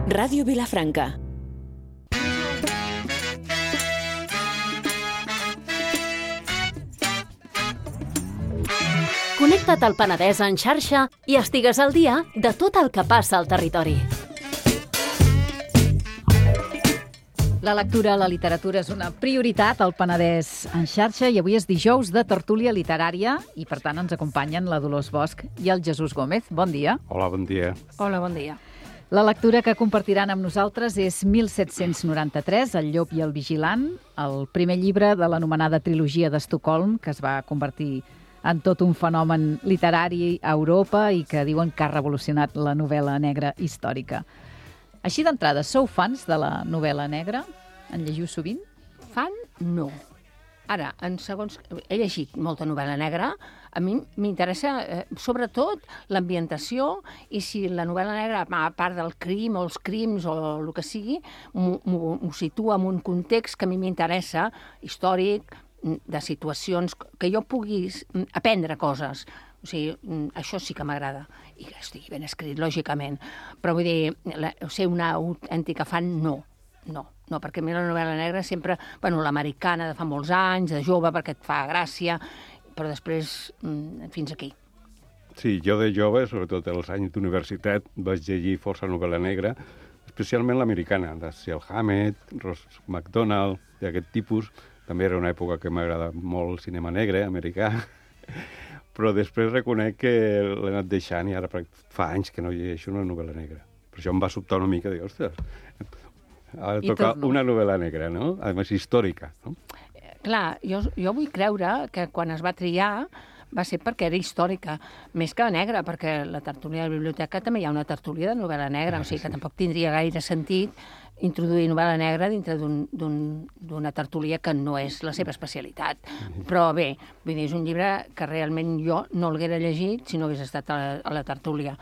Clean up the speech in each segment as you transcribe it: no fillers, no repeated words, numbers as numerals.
Ràdio Vilafranca. Connecta't al Penedès en xarxa i estigues al dia de tot el que passa al territori. La lectura, la literatura és una prioritat al Penedès en xarxa i avui és dijous de tertúlia literària i per tant ens acompanyen la Dolors Bosch i el Jesús Gómez. Bon dia. Hola, bon dia. Hola, bon dia. La lectura que compartiran amb nosaltres és 1793, El llop i el vigilant, el primer llibre de l'anomenada trilogia d'Estocolm, que es va convertir en tot un fenomen literari a Europa i que diuen que ha revolucionat la novel·la negra històrica. Així d'entrada, sou fans de la novel·la negra? En llegiu sovint? Fan? No. Ara, he llegit molta novel·la negra, a mi m'interessa sobretot l'ambientació i si la novel·la negra, a part del crim o els crims o el que sigui, m'ho situa en un context que a mi m'interessa, històric, de situacions que jo pugui aprendre coses. O sigui, això sí que m'agrada. I que estigui ben escrit, lògicament. Però vull dir, ser una autèntica fan, no, perquè a mi la novel·la negra sempre, l'americana de fa molts anys, de jove, perquè et fa gràcia, però després fins aquí. Sí, jo de jove, sobretot als anys d'universitat, vaig llegir força novel·la negra, especialment l'americana, de Dashiell Hammett, Ross Macdonald, d'aquest tipus. També era una època que m'agrada molt el cinema negre, americà, però després reconec que l'he anat deixant i ara fa anys que no llegeixo una novel·la negra. Per això em va sobtar una mica, dic, ostres, ha de tocar una novel·la negra, no? A més, històrica, no? Clar, jo vull creure que quan es va triar va ser perquè era històrica, més que negra, perquè la tertúlia de la biblioteca també hi ha una tertúlia de novel·la negra, o sigui que tampoc tindria gaire sentit introduir novel·la negra dintre d'una tertúlia que no és la seva especialitat. Però bé, vull dir, és un llibre que realment jo no l'haguera llegit si no hagués estat a la tertúlia,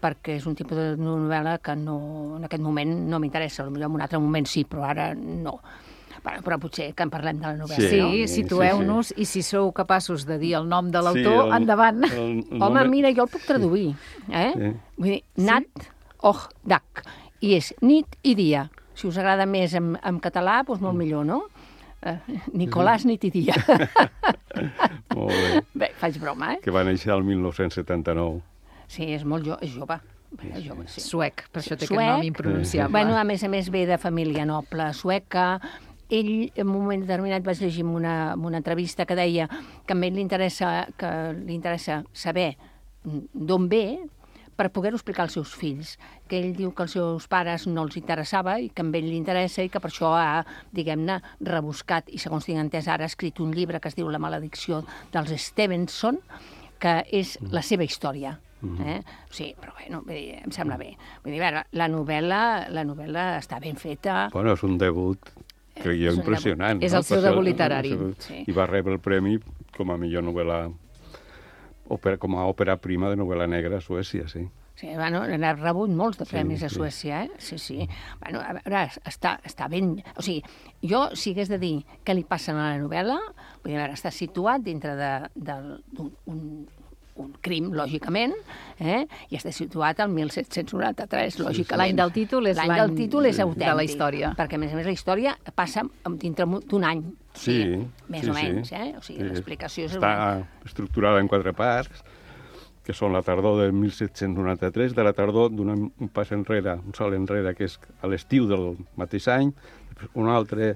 perquè és un tipus de novel·la que en aquest moment no m'interessa, potser en un altre moment sí, però ara no. Però potser que en parlem de la novel·la. Sí, situeu-nos, i si sou capaços de dir el nom de l'autor, endavant. Home, mira, jo el puc traduir. Vull dir, Nat Och Dak. I és nit i dia. Si us agrada més en català, doncs molt millor, no? Nicolàs, nit i dia. Molt bé. Bé, faig broma, Que va néixer el 1979. Sí, és molt jove. Sí. Suec, per això té aquest nom impronunciable. Bueno, a més ve de família noble sueca. Ell, en un moment determinat, vaig llegir en una entrevista que deia que a ell li interessa saber d'on ve per poder-ho explicar als seus fills, que ell diu que als seus pares no els interessava i que a ell li interessa i que per això ha, diguem-ne, rebuscat i, segons tinc entès, ara ha escrit un llibre que es diu La maledicció dels Stevenson, que és la seva història. Sí, però bé, em sembla bé. Vull dir, la novel·la està ben feta. Bueno, és un debut, crec jo, impressionant. És el seu debut literari. I va rebre el premi com a millor novel·la, com a òpera prima de novel·la negra a Suècia, sí. Sí, n'ha rebut molts de premis a Suècia, Sí. Bueno, a veure, està ben... O sigui, jo, si hagués de dir què li passa a la novel·la, vull dir, està situat dintre d'un crim, lògicament, i està situat al 1793, lògicament. L'any del títol és l'any del títol és autèntic. De la història. Perquè, a més, la història passa dintre d'un any. Sí. Més o menys, O sigui, l'explicació és... Està estructurada en 4 parts, que són la tardor del 1793, de la tardor d'un pas enrere, un salt enrere, que és a l'estiu del mateix any, un altre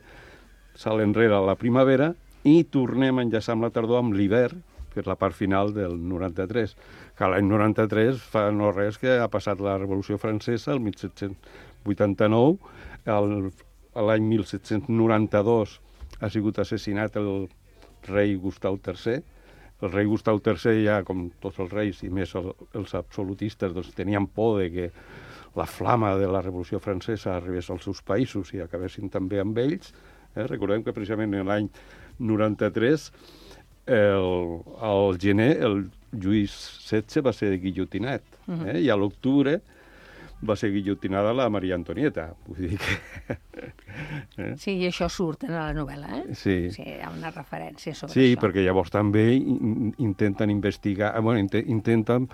salt enrere a la primavera, i tornem a enllaçar amb la tardor amb l'hivern, que és la part final del 93. Que l'any 93 fa no res que ha passat la Revolució Francesa, el 1789, l'any 1792 ha sigut assassinat el rei Gustau III. El rei Gustau III, ja com tots els reis, i més els absolutistes, doncs, tenien por de que la flama de la Revolució Francesa arribés als seus països i acabessin també amb ells. Recordem que precisament en l'any 93 al gener el Lluís XVI va ser guillotinat, i a l'octubre va ser guillotinada la Maria Antonieta. Vull dir que... Sí, i això surt en la novel·la, Sí. Sí, hi ha una referència sobre això. Sí, això. perquè llavors també intenten investigar, intenten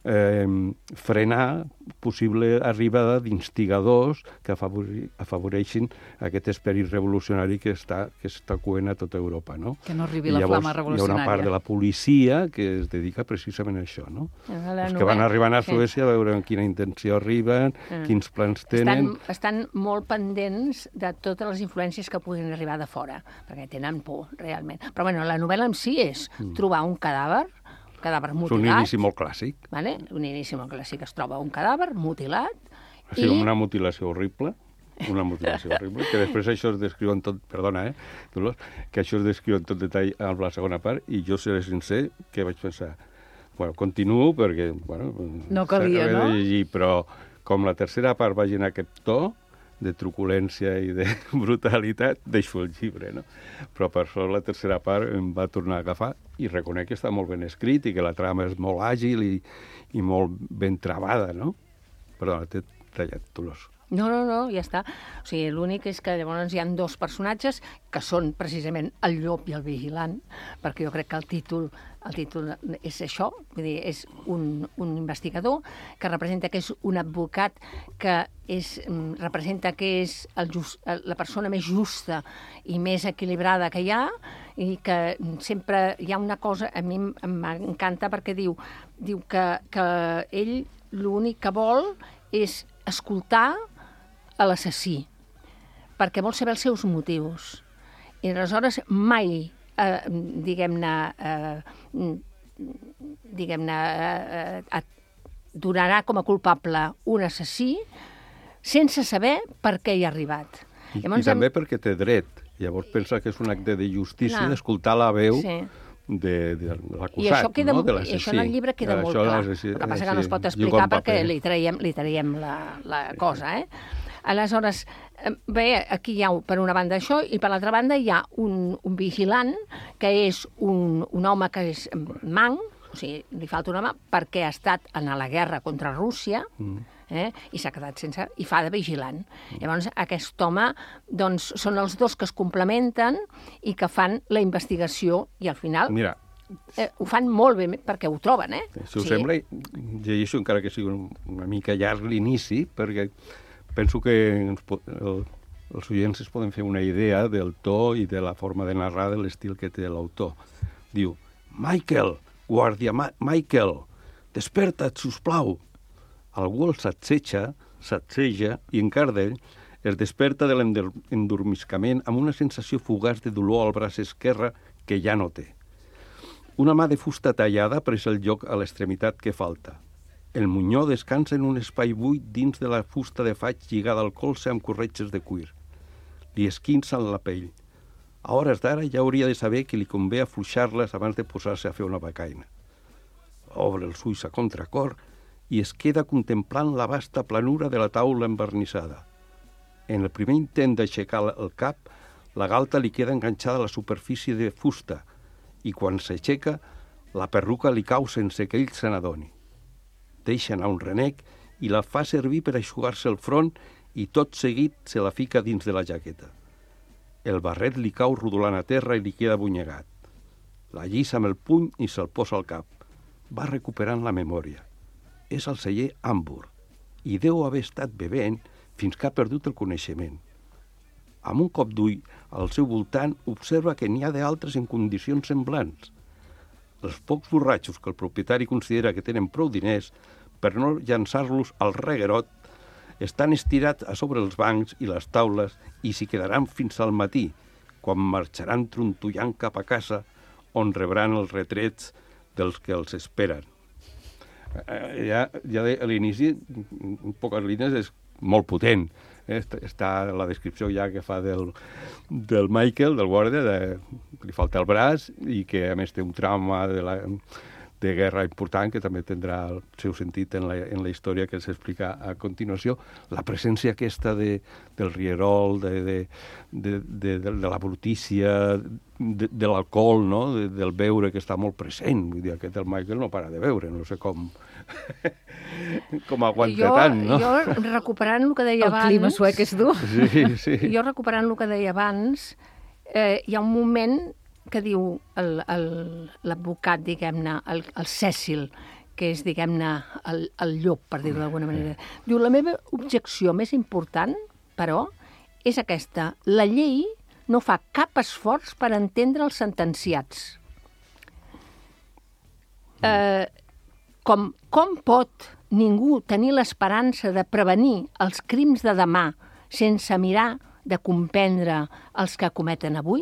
frenar possible arribada d'instigadors que afavoreixin aquest esperit revolucionari que està coent a tota Europa, no? Que no arribi la flama revolucionària. Hi ha una part de la policia que es dedica precisament a això, no? Els que van arribant a Suècia a veure amb quina intenció arriben, quins plans tenen... Estan molt pendents de totes les influències que puguin arribar de fora, perquè tenen por, realment. Però, bueno, la novel·la en si és trobar un cadàver mutilat. És un inici molt clàssic. Vale? Un inici molt clàssic. Es troba un cadàver mutilat i... una mutilació horrible, que després això es descriu en tot... Perdona, Dolors, que això es descriu en tot detall en la segona part, i jo seré sincer que vaig pensar, bueno, continuo perquè, bueno... No calia, no? Llegir, però com la tercera part vagi en aquest to, de truculència i de brutalitat, deixo el llibre, no? Però per sort la tercera part em va tornar a agafar i reconec que està molt ben escrit i que la trama és molt àgil i molt ben travada, no? Perdona, t'he tallat, Dolors. No, ja està. O sigui, l'únic és que llavors hi ha dos personatges que són precisament el llop i el vigilant, perquè jo crec que el títol és això, vull dir, és un investigador que representa que és un advocat que representa que és la persona més justa i més equilibrada que hi ha, i que sempre hi ha una cosa, a mi m'encanta perquè diu que ell l'únic que vol és escoltar a l'assassí, perquè vol saber els seus motius. I aleshores mai, donarà com a culpable un assassí sense saber per què hi ha arribat. I també perquè té dret. Llavors pensa que és un acte de justícia d'escoltar la veu de l'acusat, no? De l'assassí. I això en el llibre queda molt clar. El que passa que no es pot explicar perquè li traiem la cosa, Aleshores, bé, aquí hi ha per una banda això, i per l'altra banda hi ha un vigilant, que és un home que és manc, o sigui, li falta una mà, perquè ha estat en la guerra contra Rússia, i s'ha quedat sense... i fa de vigilant. Llavors, aquest home, doncs, són els dos que es complementen i que fan la investigació, i al final... Mira, ho fan molt bé perquè ho troben, Si us sembla, llegeixo encara que sigui una mica llarg l'inici, perquè penso que els oients es poden fer una idea del to i de la forma de narrar, de l'estil que té l'autor. Diu, Michael, guàrdia Michael, desperta't, sisplau. Algú el s'atseja i en Cardell es desperta de l'endormiscament amb una sensació fugaç de dolor al braç esquerre que ja no té. Una mà de fusta tallada ha pres el lloc a l'extremitat que falta. El monyó descansa en un espai buit dins de la fusta de faig lligada al colze amb corretges de cuir. Li esquinçen la pell. A hores d'ara ja hauria de saber que li convé afluixar-les abans de posar-se a fer una becaina. Obre els ulls a contracor i es queda contemplant la vasta planura de la taula envernissada. En el primer intent d'aixecar el cap, la galta li queda enganxada a la superfície de fusta i quan s'aixeca, la perruca li cau sense que ell se n'adoni. Deixa anar un renec i la fa servir per eixugar-se el front i tot seguit se la fica dins de la jaqueta. El barret li cau rodolant a terra i li queda bunyegat. La lliça amb el puny i se'l posa al cap. Va recuperant la memòria. És el celler Hamburg i deu haver estat bevent fins que ha perdut el coneixement. Amb un cop d'ull al seu voltant observa que n'hi ha d'altres en condicions semblants. Els pocs borratxos que el propietari considera que tenen prou diners per no llançar-los al reguerot estan estirats a sobre els bancs i les taules i s'hi quedaran fins al matí, quan marxaran trontollant cap a casa on rebran els retrets dels que els esperen. Ja a l'inici, en poques línies, és molt potent. Està la descripció ja que fa del Michael, del guàrdia, que li falta el braç i que a més té un trauma de guerra important que també tindrà el seu sentit en la història que s'explica a continuació. La presència aquesta del rierol, de la brutícia, de l'alcohol, no? Del beure que està molt present. Vull dir, aquest el Michael no para de beure, no sé com aguanta tant, no? Jo, recuperant el que deia abans... El clima suec és dur. Sí. Jo, recuperant el que deia abans, hi ha un moment que diu l'advocat, diguem-ne, el Cecil, que és, diguem-ne, el llop, per dir-ho d'alguna manera. Diu, la meva objecció més important, però, és aquesta. La llei no fa cap esforç per entendre els sentenciats. Com pot ningú tenir l'esperança de prevenir els crims de demà sense mirar de comprendre els que cometen avui?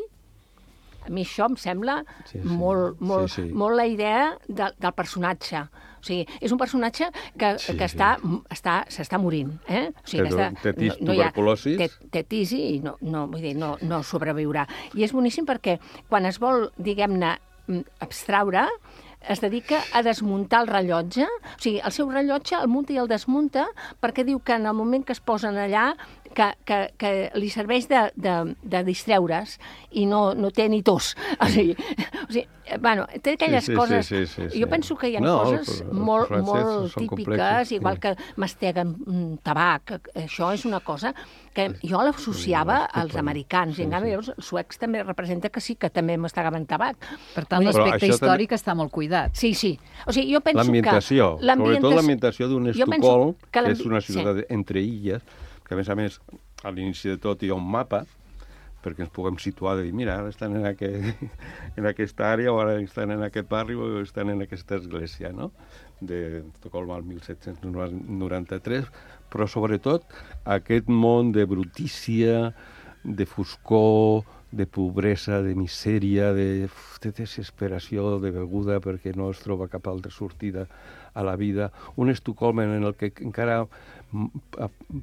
A mi això em sembla molt la idea del personatge. O sigui, és un personatge que s'està morint. O sigui, té tuberculosi. Té tisi i no sobreviurà. I és boníssim perquè quan es vol, diguem-ne, abstraure, es dedica a desmuntar el rellotge. O sigui, el seu rellotge el munta i el desmunta perquè diu que en el moment que es posen allà que li serveix de distreure's i no té ni tos. O sigui, bueno, té aquelles coses... Jo penso que hi ha coses molt típiques, igual que masteguen tabac. Això és una cosa que jo l'associava als americans, i en canvi els suecs també representa que sí, que també mastegaven tabac. Per tant, l'aspecte històric està molt cuidat. Sí. O sigui, jo penso que... L'ambientació, sobretot l'ambientació d'un Estocolm, que és una ciutat entre illes, que a més, a l'inici de tot hi ha un mapa perquè ens puguem situar de dir, mira, ara estan en aquesta àrea, o ara estan en aquest barri, o estan en aquesta església, no?, d'Estocolm al 1793, però sobretot aquest món de brutícia, de foscor, de pobresa, de misèria, de desesperació, de beguda, perquè no es troba cap altra sortida a la vida. Un Estocolm en el que encara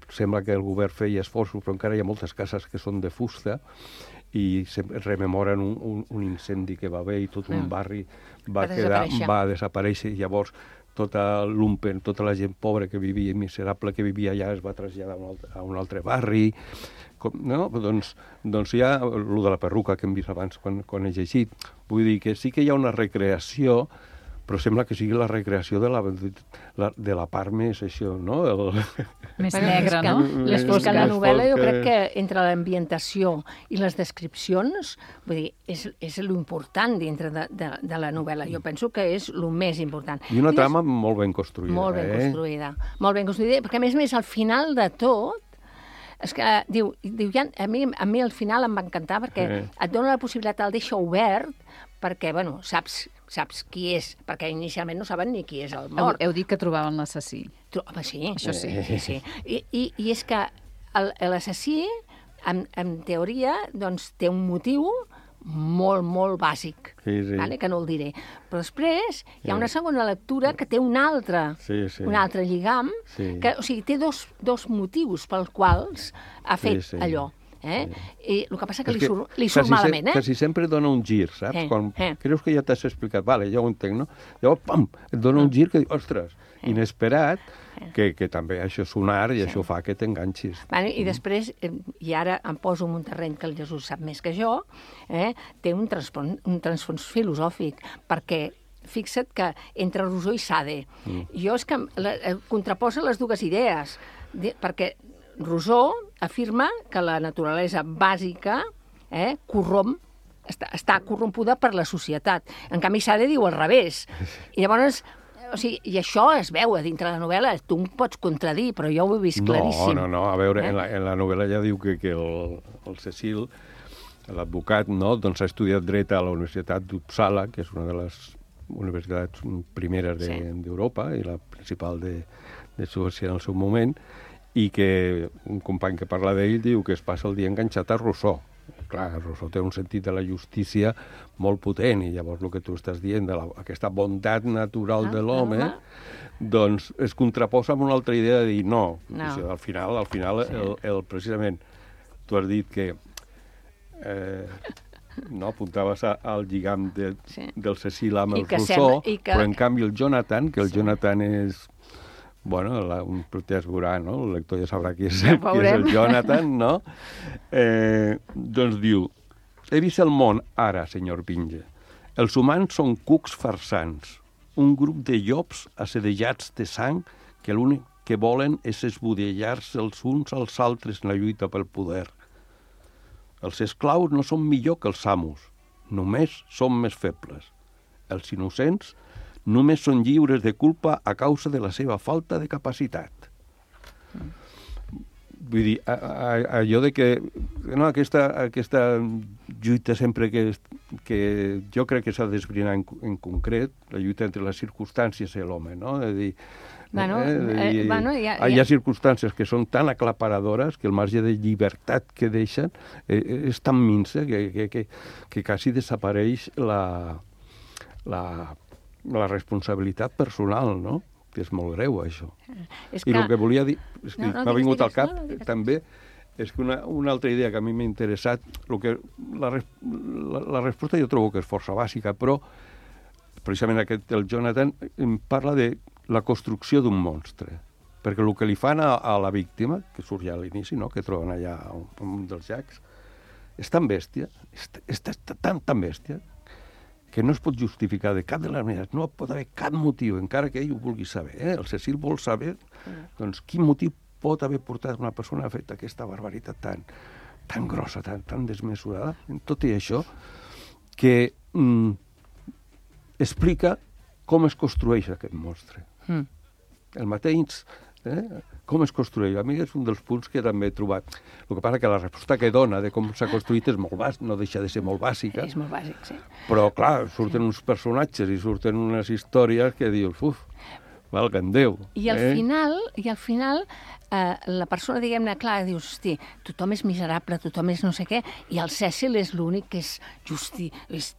sembla que el govern feia esforços, però encara hi ha moltes cases que són de fusta i rememoren un incendi que va haver i tot un barri va desaparèixer. I llavors tota l'Umpen, tota la gent pobra que vivia, miserable que vivia allà, es va traslladar a un altre barri. No? Doncs hi ha el de la perruca que hem vist abans quan he llegit. Vull dir que sí que hi ha una recreació, però sembla que sigui la recreació de la part més això, no? Més negra, no? És que la novel·la, jo crec que entre l'ambientació i les descripcions, vull dir, és l'important dintre de la novel·la. Jo penso que és el més important. I una trama molt ben construïda. Molt ben construïda. Molt ben construïda, perquè a més, al final de tot, és que diu a mi al final em va encantar perquè et dona la possibilitat, el deixa obert, perquè, bueno, saps qui és, perquè inicialment no saben ni qui és el mort. Heu dit que trobaven l'assassí. Home, sí. Això sí. I és que l'assassí, en teoria, doncs, té un motiu molt, molt bàsic, vale? Que no el diré. Però després hi ha una segona lectura que té un altre lligam, que, o sigui, té dos motius pels quals ha fet allò. I el que passa que li surt malament, Quasi sempre dona un gir, saps? Quan creus que ja t'has explicat, vale, ja ho entenc, no? Llavors, pam, et dona un gir que dius, ostres, inesperat, que també això és un art i això fa que t'enganxis. I després, i ara em poso en un terreny que el Jesús sap més que jo, té un transfons filosòfic, perquè fixa't que entre Rousseau i Sade, jo és que contraposa les dues idees, perquè Rousseau afirma que la naturalesa bàsica corromp, està corrompuda per la societat. En canvi, Sade diu al revés. I llavors, o sigui, i això es veu a dintre de la novel·la, tu em pots contradir, però jo ho he vist claríssim. No, a veure, en la novel·la ja diu que el Cecil, l'advocat, no, doncs ha estudiat dret a la Universitat d'Uppsala, que és una de les universitats primeres d'Europa i la principal de Suècia en el seu moment, i que un company que parla d'ell diu que es passa el dia enganxat a Rousseau. Clar, Rousseau té un sentit de la justícia molt potent, i llavors el que tu estàs dient, aquesta bondat natural de l'home, doncs es contraposa amb una altra idea de dir no. Al final, precisament, tu has dit que apuntaves al lligam del Cecil amb el Rousseau, però en canvi el Jonathan, que el Jonathan és... Bueno, un ja es veurà, no? El lector ja sabrà qui és el Jonathan, no? Doncs diu, he vist el món ara, senyor Binge. Els humans són cucs farsants, un grup de llops assedejats de sang que l'únic que volen és esbudellar-se els uns als altres en la lluita pel poder. Els esclaus no són millor que els amos, només són més febles. Els innocents només són lliures de culpa a causa de la seva falta de capacitat. Vull dir, allò de que no, aquesta lluita sempre que jo crec que s'ha d'esbrinar en concret, la lluita entre les circumstàncies i l'home, no? És a dir, hi ha circumstàncies que són tan aclaparadores que el marge de llibertat que deixen és tan minsa que quasi desapareix la responsabilitat personal, no? Que és molt greu, això. I el que volia dir, m'ha vingut al cap també, és que una altra idea que a mi m'ha interessat, la resposta jo trobo que és força bàsica, però precisament el Jonathan em parla de la construcció d'un monstre, perquè el que li fan a la víctima, que surt ja a l'inici, no? Que troben allà un dels llacs, és tan bèstia, és tan bèstia, que no es pot justificar de cap de les maneres, no pot haver cap motiu, encara que ell ho vulgui saber. El Cecil vol saber doncs, quin motiu pot haver portat una persona a fer aquesta barbaritat tan grossa, tan desmesurada, en tot i això, que explica com es construeix aquest monstre. El mateix, com es construeix. A mi és un dels punts que també he trobat. El que passa que la resposta que dona de com s'ha construït és molt bàsica, no deixa de ser molt bàsica. És molt bàsic, sí. Però, clar, surten uns personatges i surten unes històries que dius, valga'm Déu. I al final, la persona, diguem-ne, clar, dius, hosti, tothom és miserable, tothom és no sé què, i el Cecil és l'únic que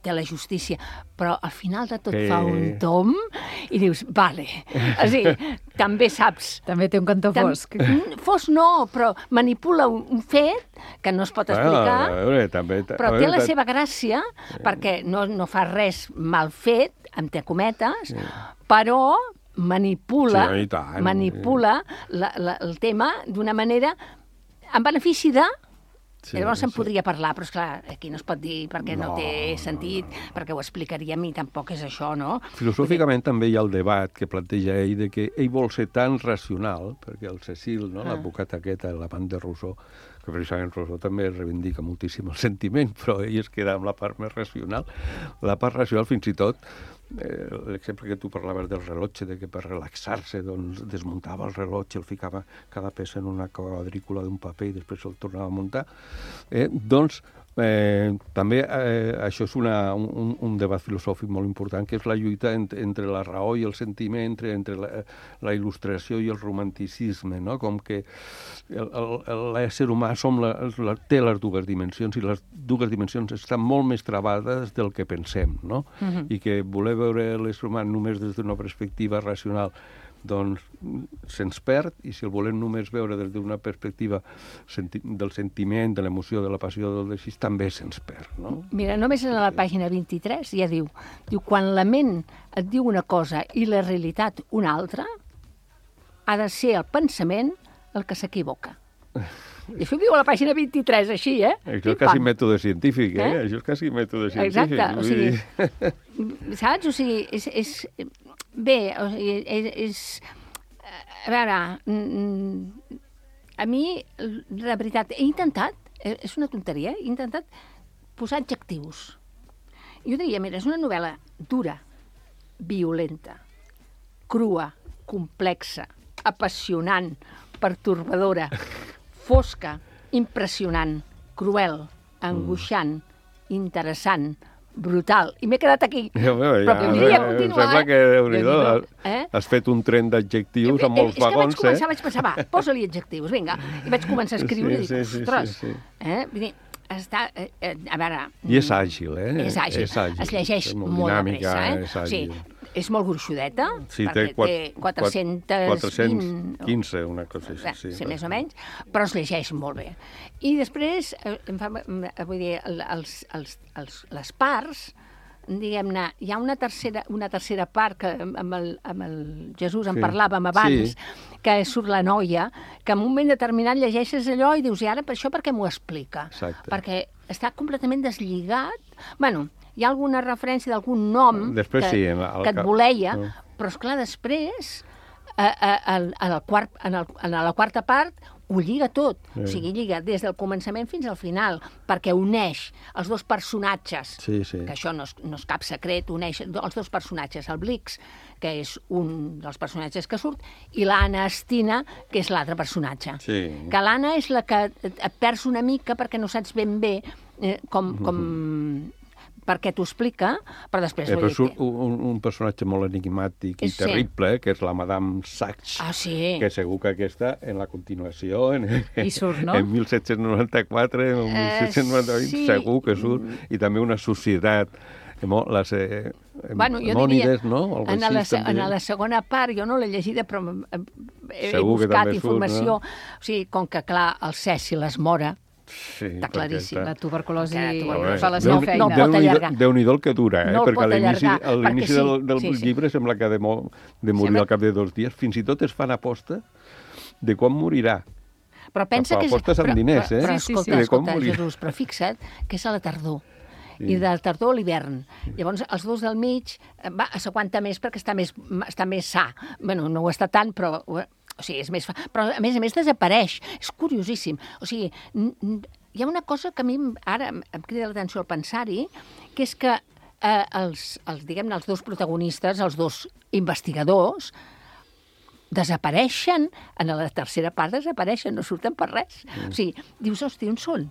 té la justícia. Però al final de tot fa un tom i dius, vale. O sigui, també saps... També té un cantó fosc. Fosc no, però manipula un fet que no es pot explicar, però té la seva gràcia, perquè no fa res mal fet, entre cometes, però manipula el tema d'una manera en benefici de... Llavors se'n podria parlar, però esclar, aquí no es pot dir perquè no té sentit, perquè ho explicaríem i tampoc és això, no? Filosòficament també hi ha el debat que planteja ell de que ell vol ser tan racional, perquè el Cecil, l'advocat aquest, l'amant de Rousseau, que precisament Rousseau també reivindica moltíssim el sentiment, però ell es queda amb la part més racional. La part racional, fins i tot, l'exemple que tu parlaves del rellotge, de que per relaxar-se doncs, desmuntava el rellotge, el ficava cada peça en una quadrícula d'un paper i després el tornava a muntar, doncs també això és un debat filosòfic molt important, que és la lluita entre la raó i el sentiment, entre la il·lustració i el romanticisme, no? Com que l'ésser humà té les dues dimensions, i les dues dimensions estan molt més travades del que pensem, no? I que voler veure l'ésser humà només des d'una perspectiva racional doncs se'ns perd, i si el volem només veure des d'una perspectiva del sentiment, de l'emoció, de la passió, del desig, també se'ns perd, no? Mira, només en la pàgina 23 ja diu, quan la ment et diu una cosa i la realitat una altra, ha de ser el pensament el que s'equivoca. I això viu a la pàgina 23, així, Això és quasi mètode científic, Això és quasi mètode científic. Exacte, o sigui, saps? O sigui, és... Bé, o sigui, a veure, a mi, la veritat, he intentat, és una tonteria, he intentat posar adjectius. Jo diria, mira, és una novel·la dura, violenta, crua, complexa, apassionant, pertorbadora, fosca, impressionant, cruel, angoixant, interessant, brutal. I m'he quedat aquí. Però podria continuar. Sembla que, Déu-n'hi-do, has fet un tren d'adjectius amb molts vagons, És que vaig pensar, posa-li adjectius, vinga. I vaig començar a escriure i dic, ostres, vull dir, està... A veure... I és àgil, És àgil. Es llegeix molt de pressa, És àgil. És molt gruixudeta, perquè té 415, una cosa així. Sí, més o menys, però es llegeix molt bé. I després, vull dir, les parts, diguem-ne, hi ha una tercera part que amb el Jesús en parlàvem abans, que surt la noia, que en un moment determinat llegeixes allò i dius, i ara això per què m'ho explica? Exacte. Perquè està completament deslligat. Bueno, hi ha alguna referència d'algun nom que et voleia, però, esclar, després a la quarta part ho lliga tot, o sigui, lliga des del començament fins al final, perquè uneix els dos personatges, que això no és cap secret, uneix els dos personatges, el Blix, que és un dels personatges que surt, i l'Anna Estina, que és l'altre personatge. Que l'Anna és la que et perds una mica perquè no saps ben bé perquè t'ho explica, però després... Però surt un personatge molt enigmàtic i terrible, que és la Madame Sachs, que segur que aquesta, en la continuació, en 1794, en 1798, segur que surt, i també una societat, les Mònides, no? En la segona part, jo no l'he llegida, però he buscat informació. O sigui, com que, clar, el Cècil es mora, està claríssim. La tuberculosi fa la seva feina. No pot allargar. Déu-n'hi-do el que dura, perquè a l'inici del llibre sembla que ha de morir al cap de 2 dies. Fins i tot es fan aposta de quan morirà. Però pensa que... Apostes amb diners, eh? Però escolta, Jesús, però fixa't que és a la tardor. I de la tardor a l'hivern. Llavors, els dos del mig s'aguanta més perquè està més sa. Bé, no ho està tant, però... O sigui, és més... Però, a més, desapareix. És curiosíssim. O sigui, hi ha una cosa que a mi ara em crida l'atenció al pensar-hi, que és que els dos protagonistes, els dos investigadors, desapareixen, en la tercera part desapareixen, no surten per res. O sigui, dius, hosti, on són?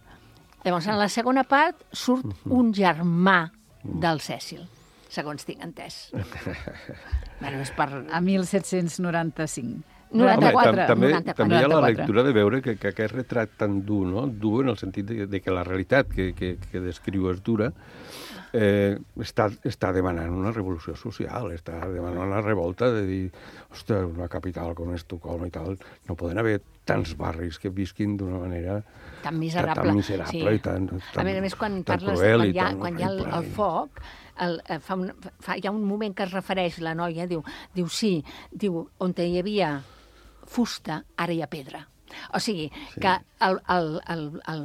Llavors, en la segona part surt un germà del Cècil, segons tinc entès. Bueno, és per... A 1795. 94. També hi ha la lectura de veure que aquest retrat tan dur, no? Dur en el sentit de que la realitat que descriu és dura, està demanant una revolució social, està demanant una revolta de dir, ostres, una capital com Estocolm i tal, no poden haver tants barris que visquin d'una manera tan miserable i tan a més, quan parles cruel quan hi ha el foc, hi ha un moment que es refereix, la noia diu, on hi havia fusta, ara hi ha pedra. O sigui, que el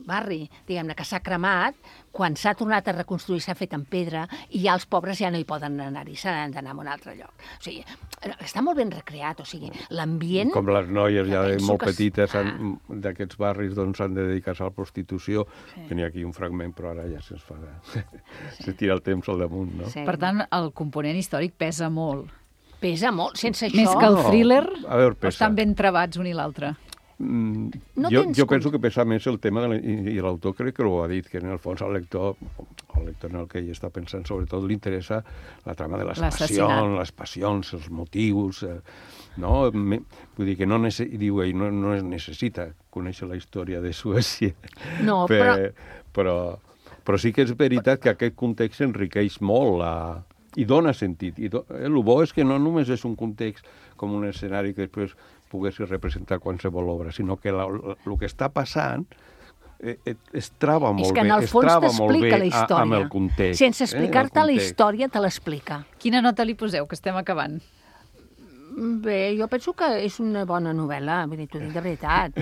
barri, diguem-ne, que s'ha cremat, quan s'ha tornat a reconstruir s'ha fet en pedra i ja els pobres ja no hi poden anar-hi, s'han d'anar a un altre lloc. O sigui, està molt ben recreat, o sigui, l'ambient... Com les noies ja molt petites d'aquests barris doncs s'han de dedicar-se a la prostitució. Tenia aquí un fragment, però ara ja se'ns fa... Se tira el temps al damunt, no? Per tant, el component històric pesa molt. Pesa molt, sense això... Més que el thriller, estan ben trebats un i l'altre. Jo penso que pesa més el tema, i l'autor crec que ho ha dit, que en el fons al lector en el que ell està pensant, sobretot li interessa la trama de les passions, els motius, no? Vull dir que no necessita conèixer la història de Suècia, però sí que és veritat que aquest context enriqueix molt i dona sentit. El bo és que no només és un context com un escenari que després poguessi representar qualsevol obra, sinó que el que està passant es troba molt bé. És que en el fons t'explica la història. Amb el context. Sense explicar-te la història, te l'explica. Quina nota li poseu, que estem acabant? Bé, jo penso que és una bona novel·la, vull dir, t'ho dic de veritat.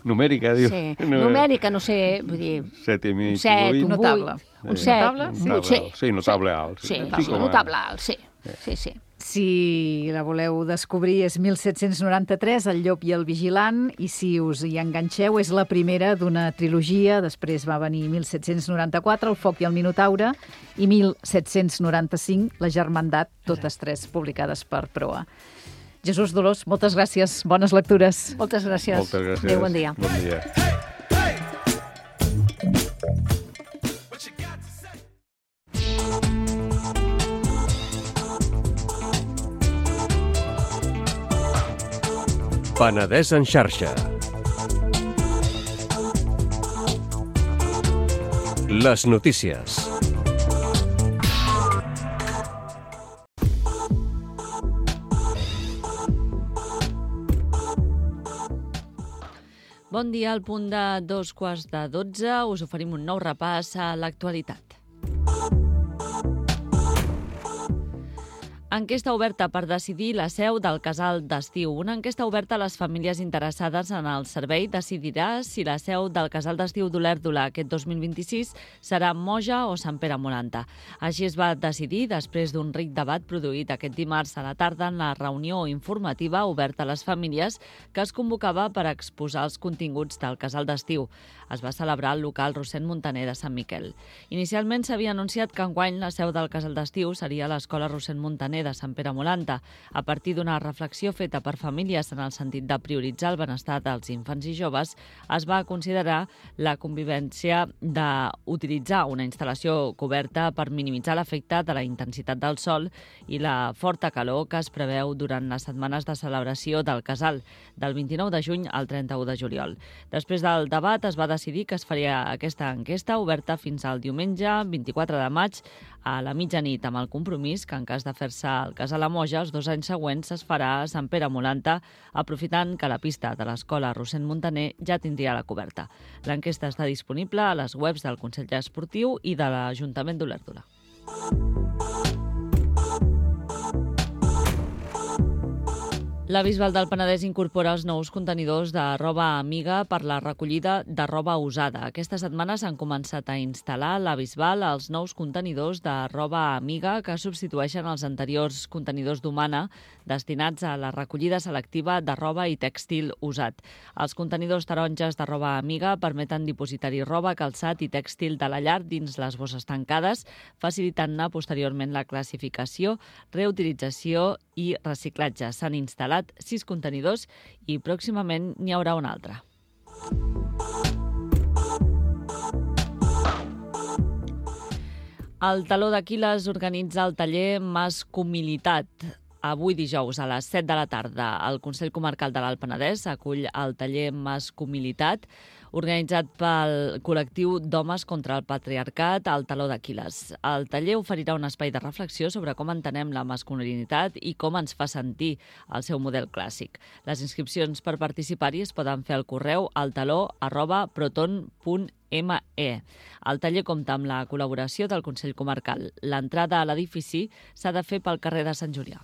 Numèrica, dius. Sí, numèrica, no sé, vull dir... 7,5, 8. Un notable. Un 7. Sí, notable alt. Sí, notable alt, sí. Si la voleu descobrir és 1793, El llop i el vigilant, i si us hi enganxeu és la primera d'una trilogia, després va venir 1794, El foc i el minotaure, i 1795, La germandat, totes tres publicades per Proa. Jesús Dolors, moltes gràcies, bones lectures. Moltes gràcies. Moltes gràcies. Adéu, bon dia. Bon dia. Penedès en xarxa. Les notícies. Bon dia, al punt de 2:15 us oferim un nou repàs a l'actualitat. Enquesta oberta per decidir la seu del casal d'estiu. Una enquesta oberta a les famílies interessades en el servei decidirà si la seu del casal d'estiu d'Olèrdola aquest 2026 serà Moja o Sant Pere Molanta. Així es va decidir després d'un ric debat produït aquest dimarts a la tarda en la reunió informativa oberta a les famílies que es convocava per exposar els continguts del casal d'estiu. Es va celebrar al local Rossend Muntaner de Sant Miquel. Inicialment s'havia anunciat que enguany la seu del casal d'estiu seria l'Escola Rossend Muntaner de Sant Pere Molanta. A partir d'una reflexió feta per famílies en el sentit de prioritzar el benestar dels infants i joves, es va considerar la convivència d'utilitzar una instal·lació coberta per minimitzar l'efecte de la intensitat del sol i la forta calor que es preveu durant les setmanes de celebració del casal, del 29 de juny al 31 de juliol. Després del debat es va decidir que es faria aquesta enquesta oberta fins al diumenge 24 de maig a la mitjanit, amb el compromís que en cas de fer-se el casal a Moja, els 2 anys següents es farà a Sant Pere Molanta, aprofitant que la pista de l'Escola Rossend Muntaner ja tindria la coberta. L'enquesta està disponible a les webs del Consell Esportiu i de l'Ajuntament d'Olèrdola. La Bisbal del Penedès incorpora els nous contenidors de roba amiga per la recollida de roba usada. Aquesta setmana s'han començat a instal·lar a la Bisbal els nous contenidors de roba amiga que substitueixen els anteriors contenidors d'Humana destinats a la recollida selectiva de roba i tèxtil usat. Els contenidors taronges de roba amiga permeten dipositar-hi roba, calçat i tèxtil de la llar dins les bosses tancades, facilitant-ne posteriorment la classificació, reutilització i reciclatge. S'han instal·lat 6 contenidors i pròximament n'hi haurà un altre. El Taló d'Aquil·les organitza el taller Mascumilitat. Avui dijous a les 7 de la tarda el Consell Comarcal de l'Alt Penedès acull el taller Mascumilitat organitzat pel col·lectiu d'homes contra el patriarcat al Taló d'Aquil·les. El taller oferirà un espai de reflexió sobre com entenem la masculinitat i com ens fa sentir el seu model clàssic. Les inscripcions per participar-hi es poden fer al correu altaló@proton.me. El taller compta amb la col·laboració del Consell Comarcal. L'entrada a l'edifici s'ha de fer pel carrer de Sant Julià.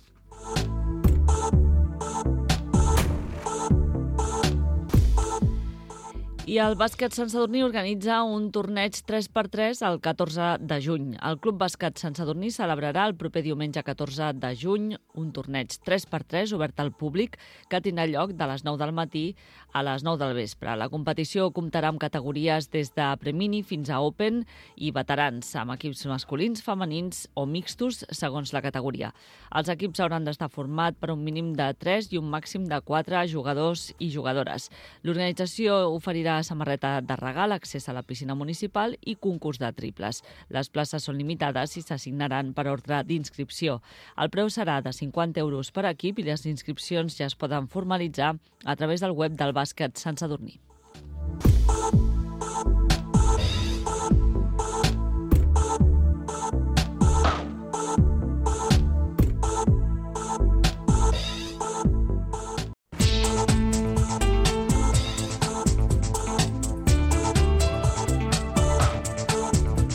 I el bàsquet Sant Sadurní organitza un torneig 3x3 el 14 de juny. El Club Bàsquet Sant Sadurní celebrarà el proper diumenge 14 de juny un torneig 3x3 obert al públic que tindrà lloc de les 9 del matí a les 9 del vespre. La competició comptarà amb categories des de Premini fins a Open i veterans, amb equips masculins, femenins o mixtos segons la categoria. Els equips hauran d'estar formats per un mínim de 3 i un màxim de 4 jugadors i jugadores. L'organització oferirà samarreta de regal, accés a la piscina municipal i concurs de triples. Les places són limitades i s'assignaran per ordre d'inscripció. El preu serà de 50 euros per equip i les inscripcions ja es poden formalitzar a través del web del bàsquet Sant Sadurní.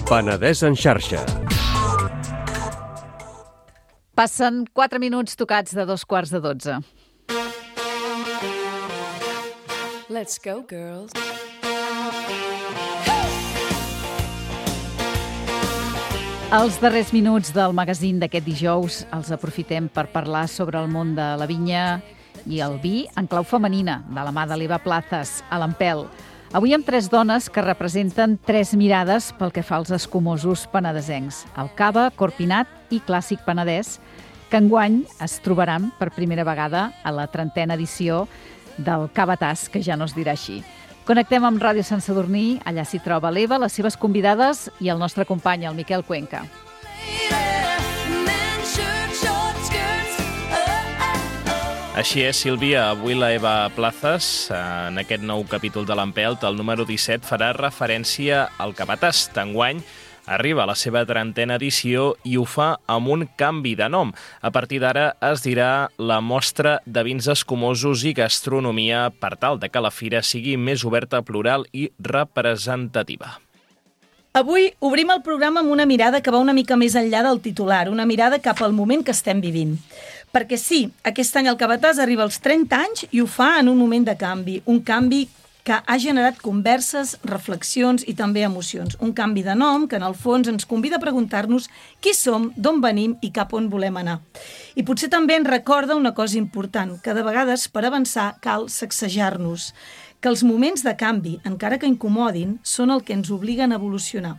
Penedès en xarxa. Passen 4 minuts tocats de 11:45. Let's go, girls. Els darrers minuts del magazín d'aquest dijous els aprofitem per parlar sobre el món de la vinya i el vi en clau femenina, de la mà de l'Eva Plazas, a l'Empel. Avui amb 3 dones que representen 3 mirades pel que fa als escumosos penedesencs, el cava, corpinat i clàssic penedès, que enguany es trobaran per primera vegada a la 30a edició del Cavatàs, que ja no es dirà així. Connectem amb Ràdio Sant Sadurní, allà s'hi troba l'Eva, les seves convidades i el nostre company, el Miquel Cuenca. Així és, Sílvia, avui la Eva Plazas, en aquest nou capítol de l'Empelt, el número 17, farà referència al Cavatàs. D'enguany arriba a la seva 30a edició i ho fa amb un canvi de nom. A partir d'ara es dirà la Mostra de Vins Escumosos i Gastronomia per tal de que la fira sigui més oberta, plural i representativa. Avui obrim el programa amb una mirada que va una mica més enllà del titular, una mirada cap al moment que estem vivint. Perquè sí, aquest any el Capatàs arriba als 30 anys i ho fa en un moment de canvi, un canvi que ha generat converses, reflexions i també emocions. Un canvi de nom que, en el fons, ens convida a preguntar-nos qui som, d'on venim i cap on volem anar. I potser també ens recorda una cosa important, que de vegades, per avançar, cal sacsejar-nos, que els moments de canvi, encara que incomodin, són el que ens obliguen a evolucionar.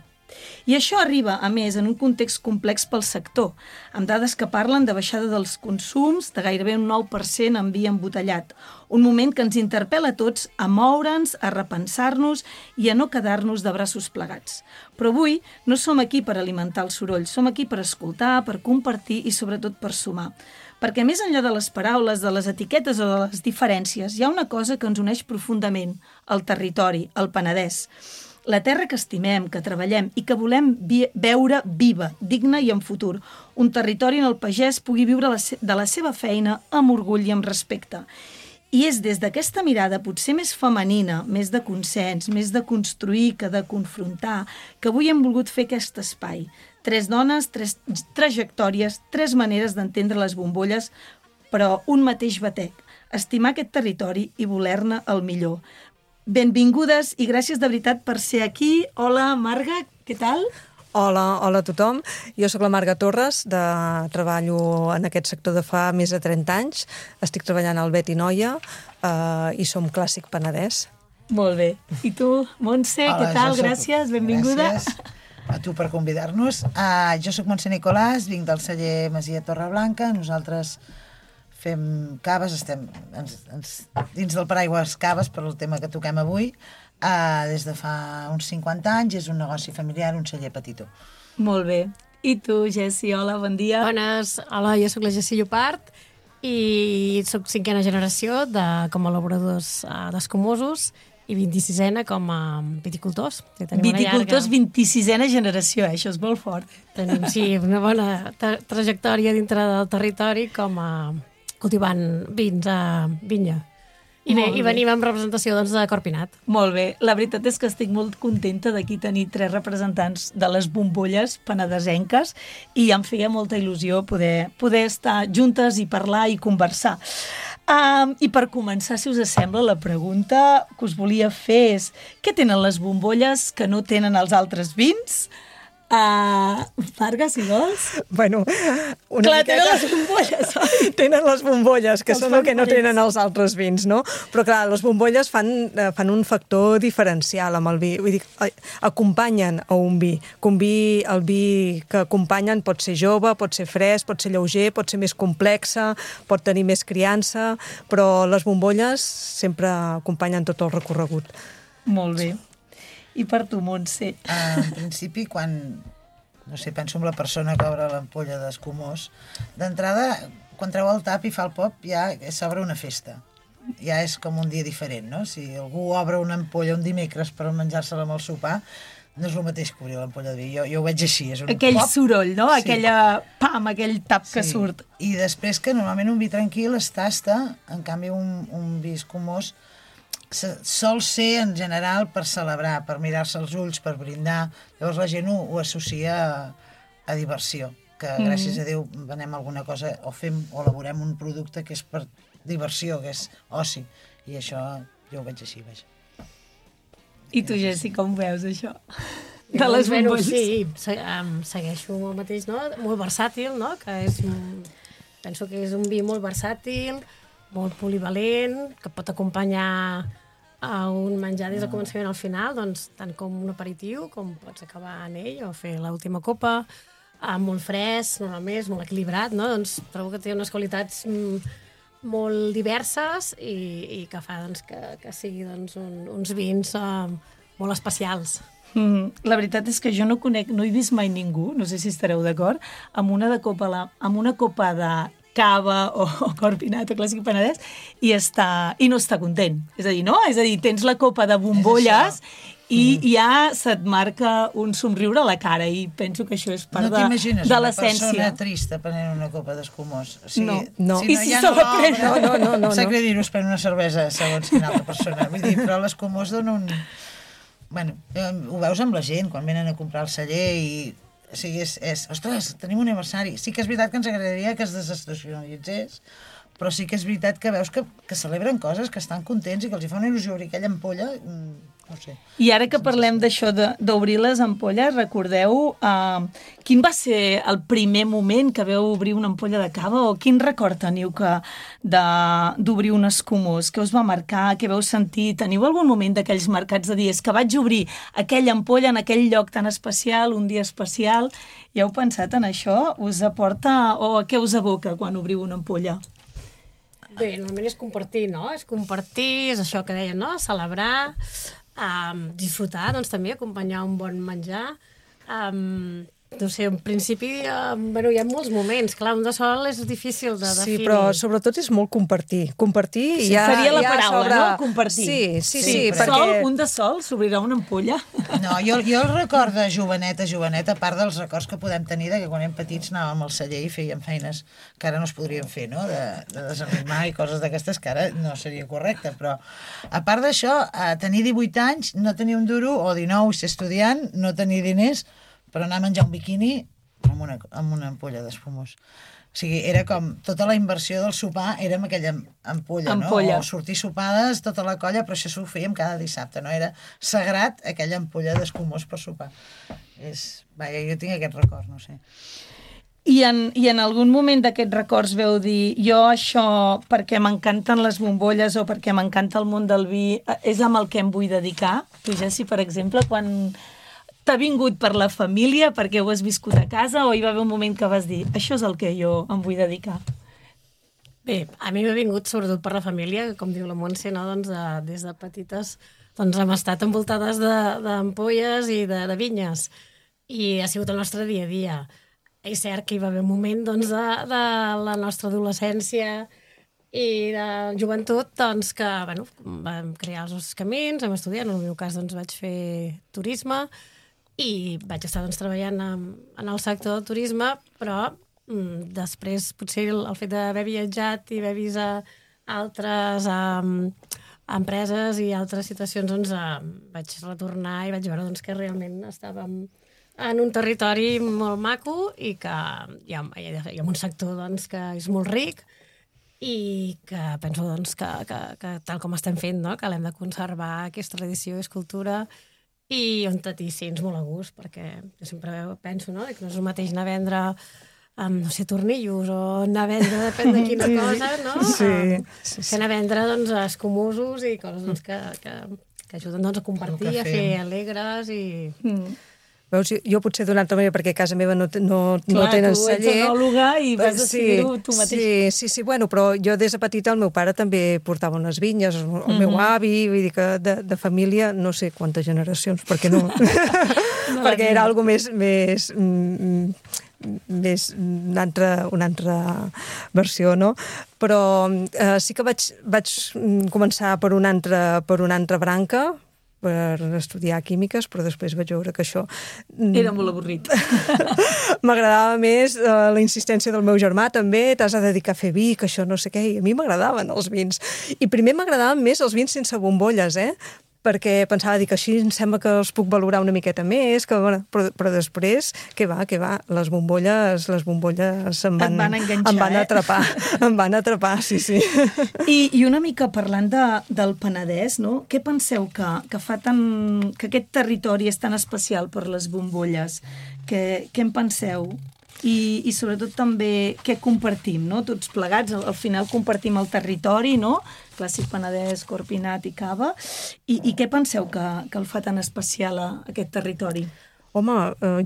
I això arriba, a més, en un context complex pel sector, amb dades que parlen de baixada dels consums de gairebé un 9% en vi embotellat. Un moment que ens interpel·la a tots a moure'ns, a repensar-nos i a no quedar-nos de braços plegats. Però avui no som aquí per alimentar el soroll, som aquí per escoltar, per compartir i sobretot per sumar. Perquè més enllà de les paraules, de les etiquetes o de les diferències, hi ha una cosa que ens uneix profundament, el territori, el Penedès. La terra que estimem, que treballem i que volem veure viva, digna i en futur. Un territori on el pagès pugui viure de la seva feina amb orgull i amb respecte. I és des d'aquesta mirada potser més femenina, més de consens, més de construir que de confrontar, que avui hem volgut fer aquest espai. 3 dones, 3 trajectòries, 3 maneres d'entendre les bombolles, però un mateix batec. Estimar aquest territori i voler-ne el millor. Benvingudes i gràcies de veritat per ser aquí. Hola, Marga, què tal? Hola a tothom. Jo sóc la Marga Torres, treballo en aquest sector de fa més de 30 anys. Estic treballant al Bet i Noia i som Clàssic Penedès. Molt bé. I tu, Montse, què tal? Gràcies, benvinguda. Gràcies a tu per convidar-nos. Jo sóc Montse Nicolàs, vinc del celler Masia Torreblanca. Nosaltres fem caves, estem dins del paraigües caves per el tema que toquem avui, des de fa uns 50 anys, és un negoci familiar, un celler petitó. Molt bé. I tu, Jessi, hola, bon dia. Bones, hola, jo sóc la Jessi Llopart i sóc 5a generació com a elaboradors d'escumosos i 26a com a viticultors. Viticultors, 26a generació, això és molt fort. Tenim, sí, una bona trajectòria dintre del territori com a cultivant vins a vinya. I venim en representació de Corpinat. Molt bé. La veritat és que estic molt contenta d'aquí tenir 3 representants de les bombolles penedesenques i em feia molta il·lusió poder estar juntes i parlar i conversar. I per començar, si us sembla, la pregunta que us volia fer és: què tenen les bombolles que no tenen els altres vins? Marga, si vols? Bueno, clar, tenen les bombolles, oi? Tenen les bombolles, que són el que no tenen els altres vins, no? Però clar, les bombolles fan un factor diferencial amb el vi. Vull dir, acompanyen a un vi. El vi que acompanyen pot ser jove, pot ser fresc, pot ser lleuger, pot ser més complexa, pot tenir més criança, però les bombolles sempre acompanyen tot el recorregut. Molt bé. I per tu, Montse? En principi, quan penso en la persona que obre l'ampolla d'escumós, d'entrada, quan treu el tap i fa el pop, ja s'obre una festa. Ja és com un dia diferent, no? Si algú obre una ampolla un dimecres per menjar-se-la amb el sopar, no és el mateix que obrir l'ampolla de vi. Jo ho veig així. És un aquell pop. Soroll, no? Sí. Aquell tap que surt. I després que normalment un vi tranquil es tasta, en canvi un vi escumós sol ser en general per celebrar, per mirar-se els ulls, per brindar. Llavors la gent ho associa a diversió, que gràcies a Déu venem alguna cosa o fem o elaborem un producte que és per diversió, que és oci, i això jo ho veig així, vaja. I tu, Jessi, com veus això? De les bombolles? Sí, segueixo el mateix, no? Molt versàtil, no? Penso que és un vi molt versàtil, molt polivalent, que pot acompanyar a un menjar des del començament al final, doncs, tant com un aperitiu, com pots acabar en ell o fer l'última copa, molt fresc, normalment, molt equilibrat, no? Doncs trobo que té unes qualitats molt diverses i que fa que sigui uns vins molt especials. La veritat és que jo no he vist mai ningú, no sé si estareu d'acord, amb una copa de cava o Corpinat o Clàssic Penedès i no està content. És a dir, no? És a dir, tens la copa de bombolles i ja se't marca un somriure a la cara i penso que això és part de l'essència. No t'imagines una persona trista prenent una copa d'escumós? No. I si se la pren? No. Sap greu dir-ho, es pren una cervesa segons quina altra persona. Vull dir, però l'escumós dona bueno, ho veus amb la gent, quan venen a comprar el celler i... O sigui, ostres, tenim un aniversari. Sí que és veritat que ens agradaria que es desestacionalitzés, però sí que és veritat que veus que celebren coses, que estan contents i que els hi fa una il·lusió obrir aquella ampolla, no sé. I ara que parlem d'això d'obrir les ampolles, recordeu quin va ser el primer moment que veu obrir una ampolla de cava o quin record teniu d'obrir un escumós? Què us va marcar? Què veu sentir? Teniu algun moment d'aquells marcats de dies que vaig obrir aquella ampolla en aquell lloc tan especial, un dia especial? Ja heu pensat en això? Us aporta o què us evoca quan obriu una ampolla? Bé, normalment és compartir, no? És compartir, és això que deien, no? Celebrar, disfrutar, doncs també, acompanyar un bon menjar. No sé, en principi, bueno, hi ha molts moments. Clar, un de sol és difícil de definir. Sí, però sobretot és molt compartir. Compartir sí, ja... Seria la paraula, no? Compartir. Sí, perquè... Un de sol s'obrirà una ampolla? No, jo el record de joveneta, a part dels records que podem tenir de que quan érem petits anàvem al celler i fèiem feines que ara no es podrien fer, no? De desenrimar i coses d'aquestes que ara no seria correcte, però a part d'això, tenir 18 anys, no tenir un duro, o 19, ser estudiant, no tenir diners, per anar a menjar un biquini amb una ampolla d'espumós. O sigui, era com tota la inversió del sopar era amb aquella ampolla, no? O sortir sopades, tota la colla, però això s'ho fèiem cada dissabte, no? Era sagrat aquella ampolla d'espumós per sopar. Vaja, jo tinc aquest record, no sé. I en algun moment d'aquests records veu dir jo això perquè m'encanten les bombolles o perquè m'encanta el món del vi és amb el que em vull dedicar? Tu, Jessi, per exemple, quan t'ha vingut per la família, perquè ho has viscut a casa, o hi va haver un moment que vas dir això és el que jo em vull dedicar? Bé, a mi m'ha vingut sobretot per la família, com diu la Montse, no? Doncs des de petites hem estat envoltades d'ampolles i de vinyes, i ha sigut el nostre dia a dia. És cert que hi va haver un moment de la nostra adolescència i de joventut que vam crear els nostres camins, vam estudiar, en el meu cas vaig fer turisme, i vaig estar treballant en el sector del turisme, però després potser el fet d'haver viatjat i haver vist altres empreses i altres situacions vaig retornar i vaig veure que realment estàvem en un territori molt maco i que hi ha un sector que és molt ric i que penso que tal com estem fent, que l'hem de conservar, que és tradició, és cultura, i on ens molt a gust, perquè jo sempre penso que no és el mateix anar a vendre, no sé, tornillos o anar a vendre, depèn de quina cosa, no? Sí. Que anar a vendre escumosos i coses que ajuden a compartir, a fer alegres i... Veus, jo potser d'una altra manera, perquè a casa meva no tenen celler. Tu ets enòloga i vas decidir-ho tu mateix. Sí, bueno, però jo des de petita el meu pare també portava unes vinyes, el meu avi, vull dir que de família, no sé quantes generacions, perquè no... perquè era algo més una altra versió, no? Però sí que vaig començar per una altra branca, per estudiar químiques, però després vaig veure que això... Era molt avorrit. M'agradava més la insistència del meu germà, també, t'has de dedicar a fer vi, que això no sé què, i a mi m'agradaven els vins. I primer m'agradaven més els vins sense bombolles, perquè pensava que així em sembla que els puc valorar una miqueta més, però després, què va, les bombolles em van atrapar. Em van atrapar, sí. I una mica parlant del Penedès, no? Què penseu que fa que aquest territori és tan especial per les bombolles? Què en penseu? I sobretot també què compartim, no? Tots plegats, al final compartim el territori, no? Clàssic Penedès, Corpinat i Cava. I què penseu que el fa tan especial a aquest territori? Home,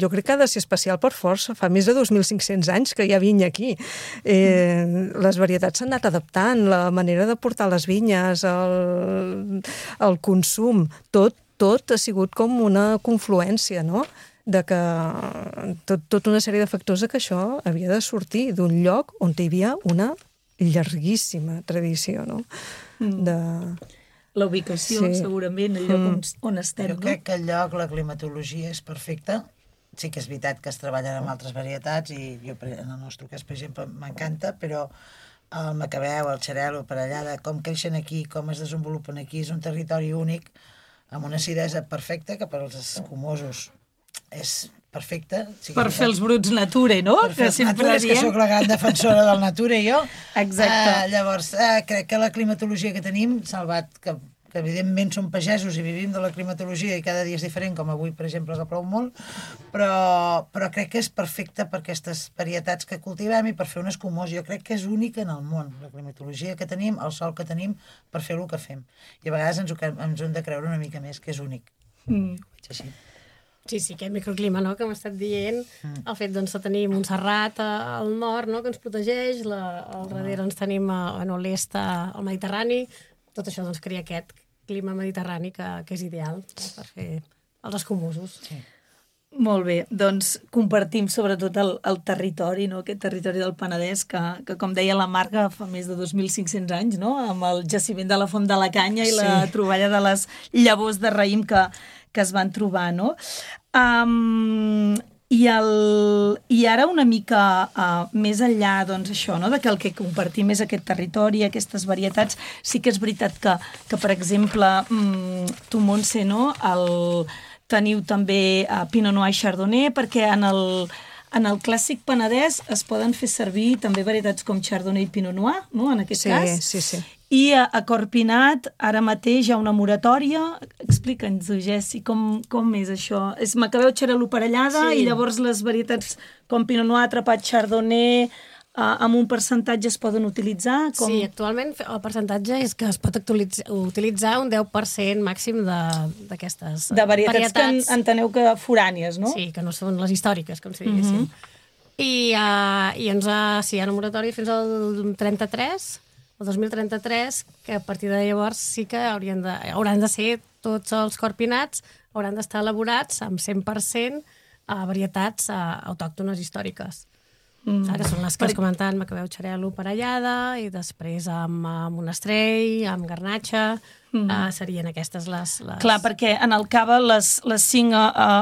jo crec que ha de ser especial per força. Fa més de 2.500 anys que hi ha vinya aquí. Les varietats s'han anat adaptant, la manera de portar les vinyes, el consum, tot ha sigut com una confluència, no?, de que tota una sèrie de factors que això havia de sortir d'un lloc on hi havia una llarguíssima tradició, no? La ubicació, segurament, el lloc on estem. Jo crec que el lloc, la climatologia és perfecta. Sí que és veritat que es treballen amb altres varietats i jo, en el nostre cas, per exemple, m'encanta, però el macabeu, el xarel·lo, per allà, de com creixen aquí, com es desenvolupen aquí, és un territori únic amb una acidesa perfecta, que per als escumosos és perfecta. Per fer els bruts nature, no? Per fer els natures, que sóc la gran defensora del nature, jo. Exacte. Llavors, crec que la climatologia que tenim, salvat que evidentment som pagesos i vivim de la climatologia i cada dia és diferent, com avui, per exemple, que plou molt, però crec que és perfecta per aquestes varietats que cultivem i per fer un escumós. Jo crec que és única en el món, la climatologia que tenim, el sol que tenim, per fer el que fem. I a vegades ens ho hem de creure una mica més, que és únic. Ho veig així. Sí, aquest microclima, no?, que hem estat dient, el fet de tenir Montserrat al nord, no?, que ens protegeix, al darrere ens tenim a l'est al Mediterrani, tot això crea aquest clima mediterrani que és ideal per fer els escumosos. Sí. Molt bé, doncs compartim sobretot el territori, no?, aquest territori del Penedès, que com deia la Marga, fa més de 2.500 anys, no?, amb el jaciment de la Font de la Canya i la troballa de les llavors de raïm que es van trobar, no? I ara una mica més enllà, doncs això, no?, de que el que compartim és aquest territori, aquestes varietats, sí que és veritat que per exemple, tu, Montse, no?, teniu també Pinot Noir i Chardonnay, perquè en el clàssic penedès es poden fer servir també varietats com Chardonnay i Pinot Noir, no?, en aquest cas. Sí. I a Corpinat, ara mateix hi ha una moratòria. Explica'ns-ho, Jessi, com és això? És Macabeu Xarel·lo parellada i llavors les varietats com Pinot Noir, Atrapat, Chardonnay, amb un percentatge es poden utilitzar? Sí, actualment el percentatge és que es pot utilitzar un 10% màxim d'aquestes de varietats que enteneu que forànies, no? Sí, que no són les històriques, com si diguéssim. I hi ha una moratòria fins al 33, el 2033, que a partir de llavors sí que hauran de ser tots els corpinats, hauran d'estar elaborats amb 100% varietats autòctones històriques. Que són les que has comentat, Macabeu Xarel·lo parellada, i després amb Monastrell, amb Garnatxa, serien aquestes les... Clar, perquè en el cava les 5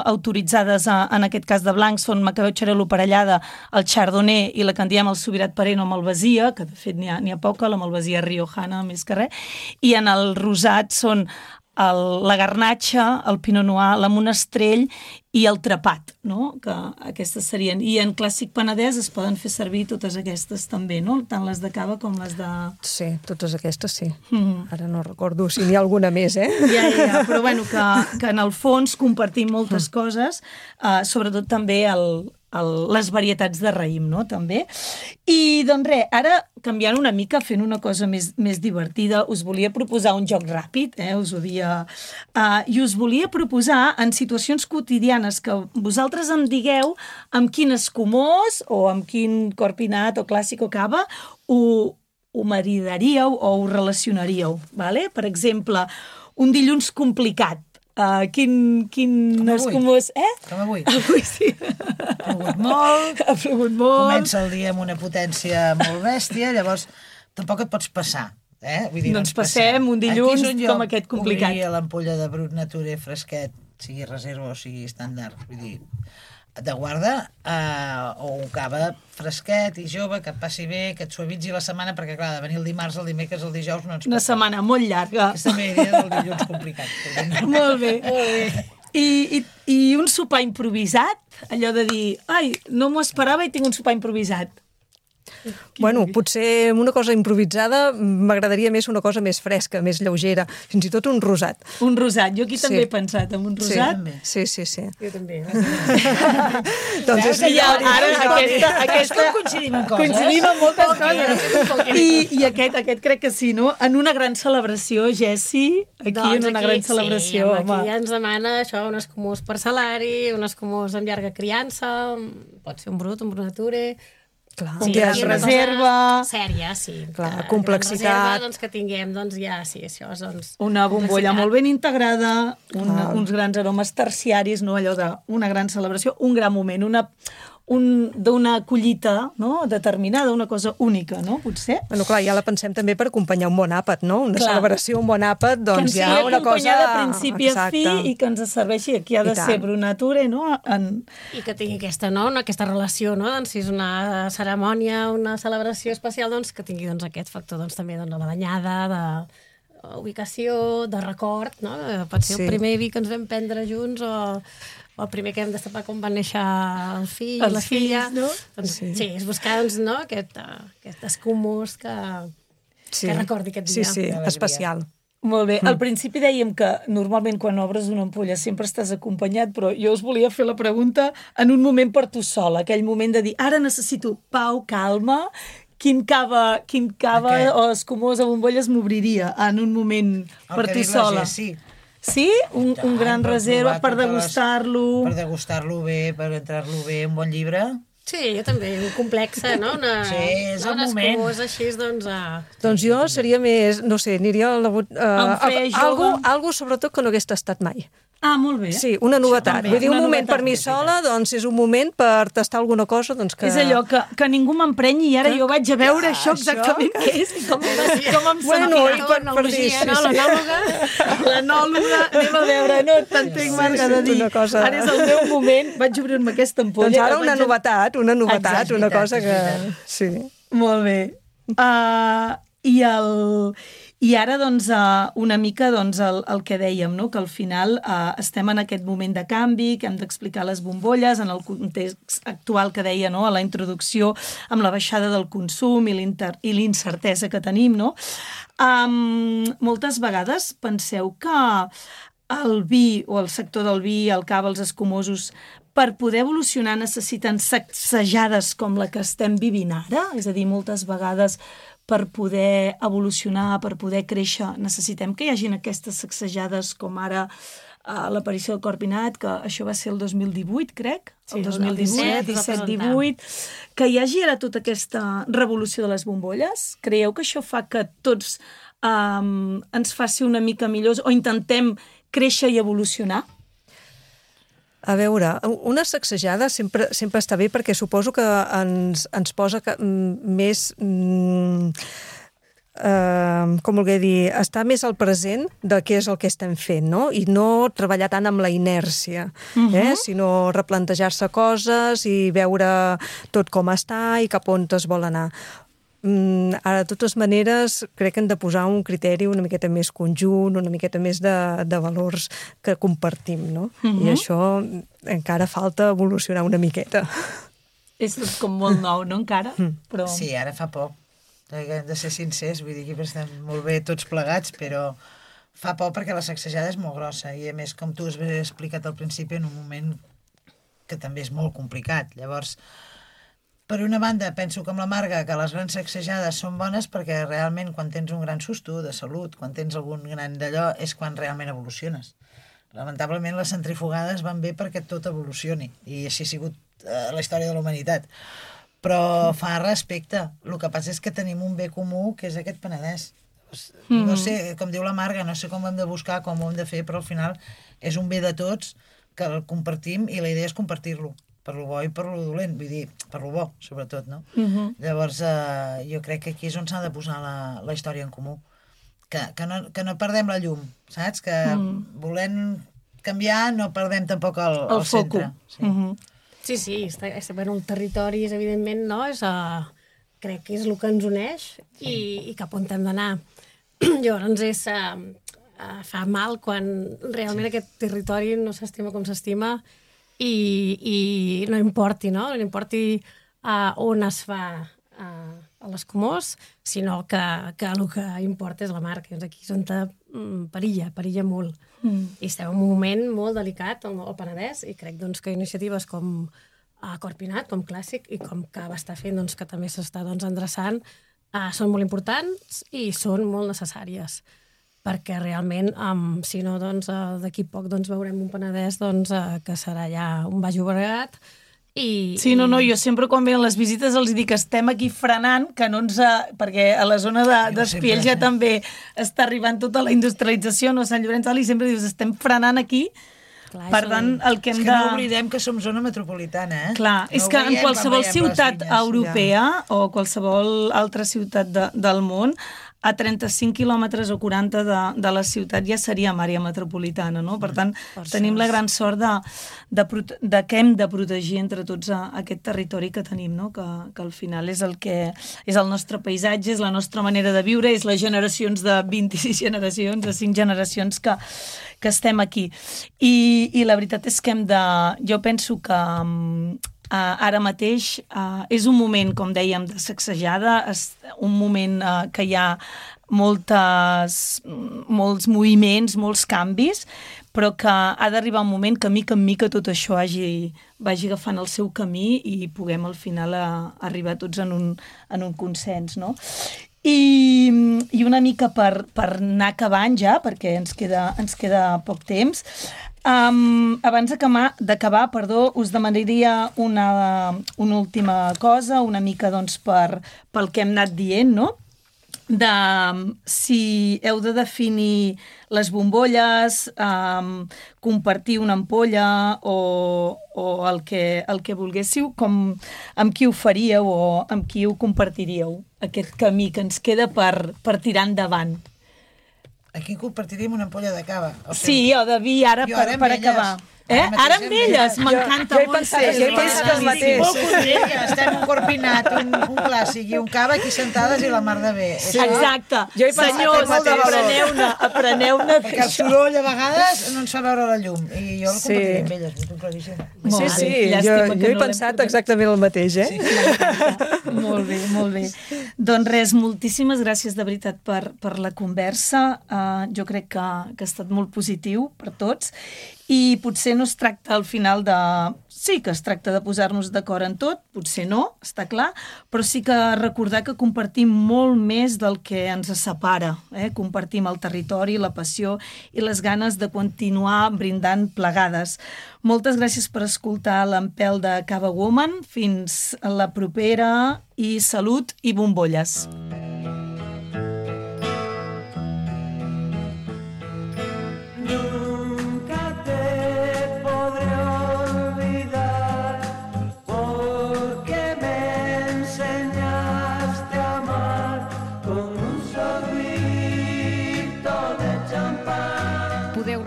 autoritzades en aquest cas de blancs són Macabeu Xarel·lo parellada, el Chardonnay i la que en diem el Subirat Pareno amb Malvasia, que de fet n'hi ha poca, la Malvasia riojana més que res, i en el rosat són la Garnatxa, el Pinot Noir, la Monastrell i el Trapat, no?, que aquestes serien. I en clàssic penedès es poden fer servir totes aquestes també, no?, tant les de cava com les de... Sí, totes aquestes sí. Ara no recordo si n'hi ha alguna més, Ja, però bueno, que en el fons compartim moltes coses, sobretot també les varietats de raïm, no?, també. I, doncs res, ara, canviant una mica, fent una cosa més divertida, us volia proposar un joc ràpid, us ho dia, i us volia proposar en situacions quotidianes que vosaltres em digueu amb quin escumós o amb quin corpinat o clàssic o cava ho maridaríeu o ho relacionaríeu, vale? Per exemple, un dilluns complicat. Quin escumós... Com avui. Avui sí. Ha plogut molt. Comença el dia amb una potència molt bèstia, llavors tampoc et pots passar. Vull dir, doncs passem un dilluns com aquest complicat. Obrir l'ampolla de Brut Nature fresquet, sigui reserva o sigui estàndard, vull dir, de guarda, o un cava fresquet i jove, que et passi bé, que et suavitzi la setmana, perquè clar, de venir el dimarts, el dimecres, el dijous no ens pot. Una setmana molt llarga. Aquesta idea del dilluns complicat. Molt bé. I un sopar improvisat, allò de dir, ai, no m'ho esperava i tinc un sopar improvisat. Bueno, potser una cosa improvisada m'agradaria més una cosa més fresca, més lleugera, fins i tot un rosat. Un rosat, jo aquí també he pensat en un rosat. Sí. Jo també. Doncs ara aquesta coincidim en coses. Coincidim en moltes coses. I aquest crec que sí, no? En una gran celebració, Jessi, aquí en una gran celebració. Sí, aquí ja ens demana això, un escumós parcel·lari, un escumós amb llarga criança, pot ser un brut, un brut nature... Un dia de reserva... Sèria, sí. Clar, complexitat... Reserva, doncs, que tinguem, doncs, ja, sí, això, doncs... Una bombolla molt ben integrada, uns grans aromes terciaris, no? Allò d'una gran celebració, un gran moment, d'una collita, no?, determinada, una cosa única, no?, potser. Bueno, clar, ja la pensem també per acompanyar un bon àpat, no? Una celebració, un bon àpat, doncs ja una cosa... Que ens sigui acompanyada de principi a fi i que ens serveixi, aquí ha de ser Brut Nature, no? I que tingui aquesta, no?, aquesta relació, no?, doncs si és una cerimònia, una celebració especial, doncs que tingui aquest factor, doncs també, la banyada, ubicació, de record, no? Pot ser Sí. el primer vi que ens vam prendre junts o el primer que hem destapar quan van néixer el fill, Els la filla. fills, no? Doncs, sí, és buscar doncs, no? aquest escumós que recordi aquest dia. Sí, especial. Molt bé. Al principi dèiem que normalment quan obres una ampolla sempre estàs acompanyat, però jo us volia fer la pregunta en un moment per tu sola, aquell moment de dir, ara necessito pau, calma, quin cava o escumós a bombolles m'obriria en un moment per tu sola? Sí. Sí? Un gran reserva per degustar-lo? Per degustar-lo bé, per entrar-lo bé, un bon llibre. Sí, jo també, un complexa, no? Sí, és el moment. Escumós així, doncs... Doncs jo seria més, no sé, aniria jove. algo sobretot que no hagués tastat mai. Ah, molt bé. Sí, una novetat. també, Vull dir, un una moment novetat. per mi sola, doncs és un moment per tastar alguna cosa, doncs que... És allò que ningú m'emprenyi i ara jo vaig a veure això exactament què és i com em Bueno, sentirà. i per dir, sí, no? L'anòloga, anem a veure, no t'entenc, Marga, de dir, una cosa- ara és el meu moment, vaig obrir-me aquesta ampolla. Doncs ara una vaig a- novetat, Exacte, una veritat, cosa és que... veritat. Sí. Molt bé. I ara, doncs, una mica doncs, el que dèiem, no? Que al final estem en aquest moment de canvi, que hem d'explicar les bombolles en el context actual que deia, no? A la introducció, amb la baixada del consum i l'incertesa que tenim, no? Moltes vegades penseu que el vi o el sector del vi, el cava, els escumosos, per poder evolucionar necessiten sacsejades com la que estem vivint ara? És a dir, moltes vegades per poder evolucionar, per poder créixer, necessitem que hi hagin aquestes sacsejades com ara l'aparició del Corpinat, que això va ser el 2018, crec, el 2018, 17-18, que hi hagi ara tota aquesta revolució de les bombolles. Creieu que això fa que tots ens faci una mica millors o intentem créixer i evolucionar? A veure, una sacsejada sempre està bé perquè suposo que ens posa més... com voler dir, estar més al present de què és el que estem fent, no? I no treballar tant amb la inèrcia, sinó replantejar-se coses i veure tot com està i cap on es vol anar. Ara, de totes maneres, crec que hem de posar un criteri una miqueta més conjunt, una miqueta més de valors que compartim, no? I això encara falta evolucionar una miqueta. És tot com molt nou, no, encara? Però... Sí, ara fa poc. Hem de ser sincers, vull dir que estem molt bé tots plegats, però fa por perquè la sacsejada és molt grossa i, a més, com tu has explicat al principi, en un moment que també és molt complicat. Llavors, per una banda, penso com la Marga que les grans sacsejades són bones perquè realment quan tens un gran susto de salut, quan tens algun gran d'allò, és quan realment evoluciones. Lamentablement, les centrifugades van bé perquè tot evolucioni i així ha sigut la història de la humanitat. Però fa respecte. El que passa és que tenim un bé comú que és aquest Penedès. No sé, com diu la Marga, no sé com ho hem de buscar, com ho hem de fer, però al final és un bé de tots que el compartim i la idea és compartir-lo, per lo bo i per lo dolent, vull dir, per lo bo, sobretot, no? Llavors, jo crec que aquí és on s'ha de posar la història en comú. Que no perdem la llum, saps? Que volent canviar no perdem tampoc el centre. Sí, bueno, el territori és, evidentment, no? Crec que és el que ens uneix i cap on hem d'anar. Llavors fa mal quan realment aquest territori no s'estima com s'estima i no importi, no? No importi on es fa l'escumós, sinó que el que importa és la marca. Aquí és on perilla molt. I estem en un moment molt delicat al Penedès i crec doncs, que iniciatives com Corpinat, com Clàssic i com Cava està fent, doncs, que també s'està endreçant, són molt importants i són molt necessàries perquè realment, si no, d'aquí poc veurem un Penedès que serà ja un Baix Llobregat. Sí, no, jo sempre quan venen les visites els dic que estem aquí frenant, que no ens... perquè a la zona d'Espiell ja també està arribant tota la industrialització, no? Sant Llorenç i sempre dius, estem frenant aquí. Per tant, el que hem de... És que no oblidem que som zona metropolitana, eh? Clar, és que en qualsevol ciutat europea o qualsevol altra ciutat del món, a 35 quilòmetres o 40 de la ciutat ja seríem àrea metropolitana, no? Per tant, tenim la gran sort de que hem de protegir entre tots aquest territori que tenim, no? Que al final és el nostre paisatge, és la nostra manera de viure, és les generacions de 26 generacions, de 5 generacions que estem aquí. I la veritat és que jo penso que ara mateix és un moment, com dèiem, de sacsejada, un moment que hi ha molts moviments, molts canvis, però que ha d'arribar un moment que mica en mica tot això vagi agafant el seu camí i puguem al final arribar tots en un consens, no? I una mica per anar acabant ja, perquè ens queda poc temps, abans d'acabar, us demanaria una última cosa, una mica doncs pel que hem anat dient, no? Si heu de definir les bombolles, compartir una ampolla o el que volguéssiu, amb qui ho faríeu o amb qui ho compartiríeu, aquest camí que ens queda per tirar endavant. Aquí compartiríem una ampolla de cava. Sí, o de vi, ara per acabar. Ara amb elles, m'encanta molt. Jo he pensat el mateix. Molt content, estem un corpinat, un clàssic i un cava aquí sentades i la mar de bé. Exacte. Senyors, apreneu-ne. Perquè el soroll a vegades no ens fa veure la llum. I jo el compartiria amb elles, ho tinc claríssim. Sí, jo he pensat exactament el mateix, Molt bé. Doncs res, moltíssimes gràcies de veritat per la conversa. Jo crec que ha estat molt positiu per tots. I potser no es tracta al final Sí que es tracta de posar-nos d'acord en tot, potser no, està clar, però sí que recordar que compartim molt més del que ens separa. Compartim el territori, la passió i les ganes de continuar brindant plegades. Moltes gràcies per escoltar l'Empelt de Cava Woman. Fins a la propera i salut i bombolles.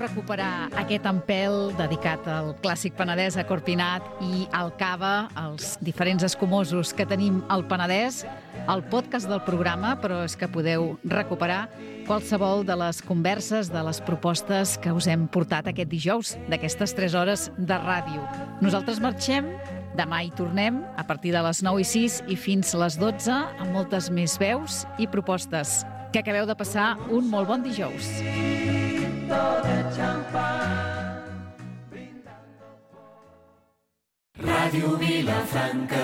Recuperar aquest empelt dedicat al clàssic penedès a Corpinat i al cava, als diferents escumosos que tenim al Penedès, al podcast del programa, però és que podeu recuperar qualsevol de les converses, de les propostes que us hem portat aquest dijous, d'aquestes 3 hores de ràdio. Nosaltres marxem, demà hi tornem, a partir de les 9:06 i fins les 12, amb moltes més veus i propostes. Que acabeu de passar un molt bon dijous. Ràdio Vilafranca.